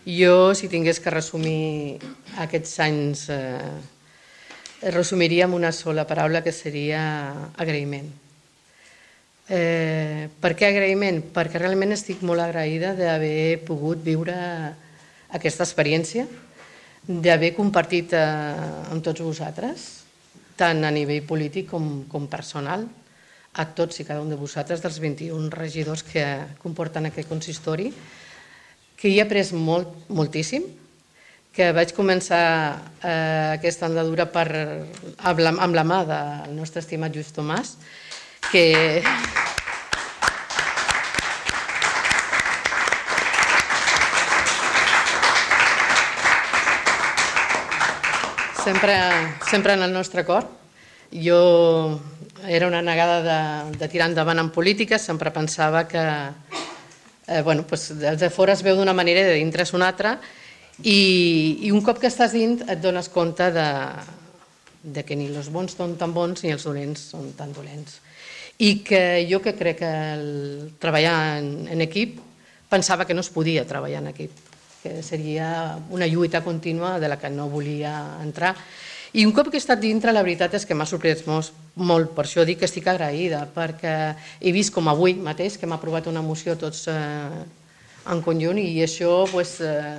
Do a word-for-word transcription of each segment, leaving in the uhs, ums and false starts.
Jo, si tingués que resumir aquests anys, eh, resumiria amb una sola paraula, que seria agraïment. Eh, per què agraïment? Perquè realment estic molt agraïda d'haver pogut viure aquesta experiència, d'haver compartit eh, amb tots vosaltres, tant a nivell polític com, com personal, a tots i cada un de vosaltres, dels vint-i-un regidors que comporten aquest consistori, que hi he après molt, moltíssim, que vaig començar eh, aquesta andadura per, amb, la, amb la mà del nostre estimat Lluís Tomàs, que... Sempre, sempre en el nostre cor. Jo era una negada de, de tirar endavant en política, sempre pensava que eh, bueno, pues, els de fora es veu d'una manera i de dintre és una altra, i, i un cop que estàs dins et dones compte de, de que ni els bons són tan bons ni els dolents són tan dolents. I que jo que crec que el treballar en, en equip, pensava que no es podia treballar en equip, que seria una lluita contínua de la que no volia entrar. I un cop que he estat dintre, la veritat és que m'ha sorprès molt, molt, per això dic que estic agraïda, perquè he vist com avui mateix que hem aprovat una moció tots eh, en conjunt, i això pues, eh,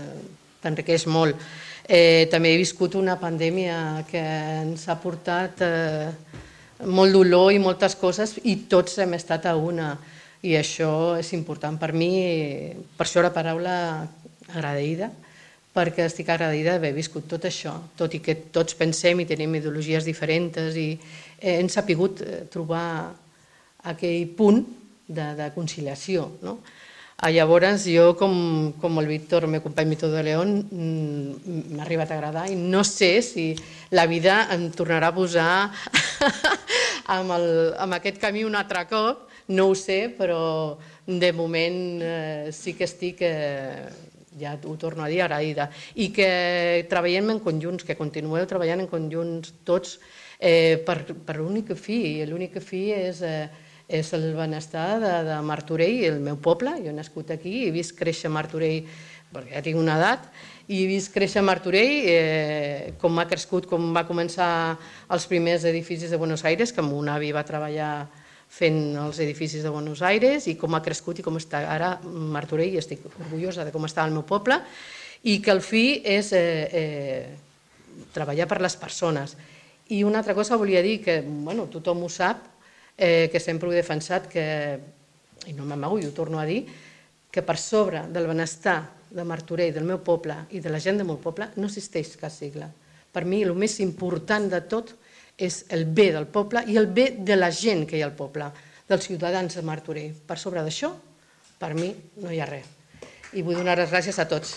t'enriqueix molt. Eh, també he viscut una pandèmia que ens ha portat eh, molt dolor i moltes coses, i tots hem estat a una, i això és important per mi, per això la paraula agraïda, perquè estic agraïda d'haver viscut tot això, tot i que tots pensem i tenim ideologies diferents, i hem sabut trobar aquell punt de, de conciliació. No? Llavors, jo, com, com el Víctor, el meu company Víctor de León, m'ha arribat a agradar, i no sé si la vida em tornarà a posar amb, el, amb aquest camí un altre cop, no ho sé, però de moment eh, sí que estic... Eh, ja ho torno a dir, agraïda, i que treballem en conjunts, que continueu treballant en conjunts tots eh, per, per l'únic fi, i l'únic fi és, eh, és el benestar de, de Martorell, el meu poble. Jo he nascut aquí, he vist créixer Martorell, perquè ja tinc una edat, i he vist créixer Martorell, eh, com ha crescut, com va començar els primers edificis de Buenos Aires, que mon avi va treballar fent els edificis de Buenos Aires, i com ha crescut i com està ara Martorell, i estic orgullosa de com està el meu poble, i que el fi és eh, eh, treballar per les persones. I una altra cosa volia dir, que bueno, tothom ho sap, eh, que sempre ho he defensat, que, i no m'amago i ho torno a dir, que per sobre del benestar de Martorell, del meu poble i de la gent del meu poble, no existeix cap sigle. Per mi el més important de tot és el bé del poble i el bé de la gent que hi ha al poble, dels ciutadans de Martorell. Per sobre d'això, per mi, no hi ha res. I vull donar les gràcies a tots.